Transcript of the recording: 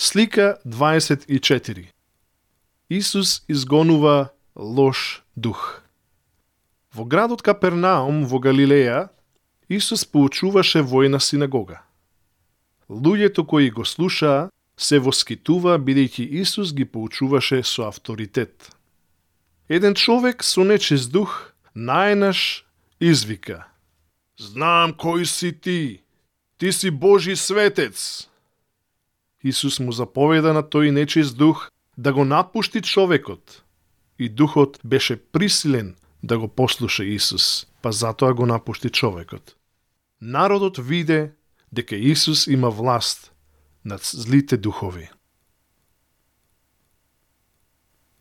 Слика 24. Исус изгонува лош дух. Во градот Капернаум во Галилеја, Исус поучуваше во една синагога. Луѓето кои го слушаа се воскитува бидејќи Исус ги поучуваше со авторитет. Еден човек со нечист дух најнаш извика: "Знам кој си ти! Ти си Божи светец!" Исус му заповеда на тој нечист дух да го напушти човекот, и духот беше присилен да го послуша Исус, па затоа го напушти човекот. Народот виде дека Исус има власт над злите духови.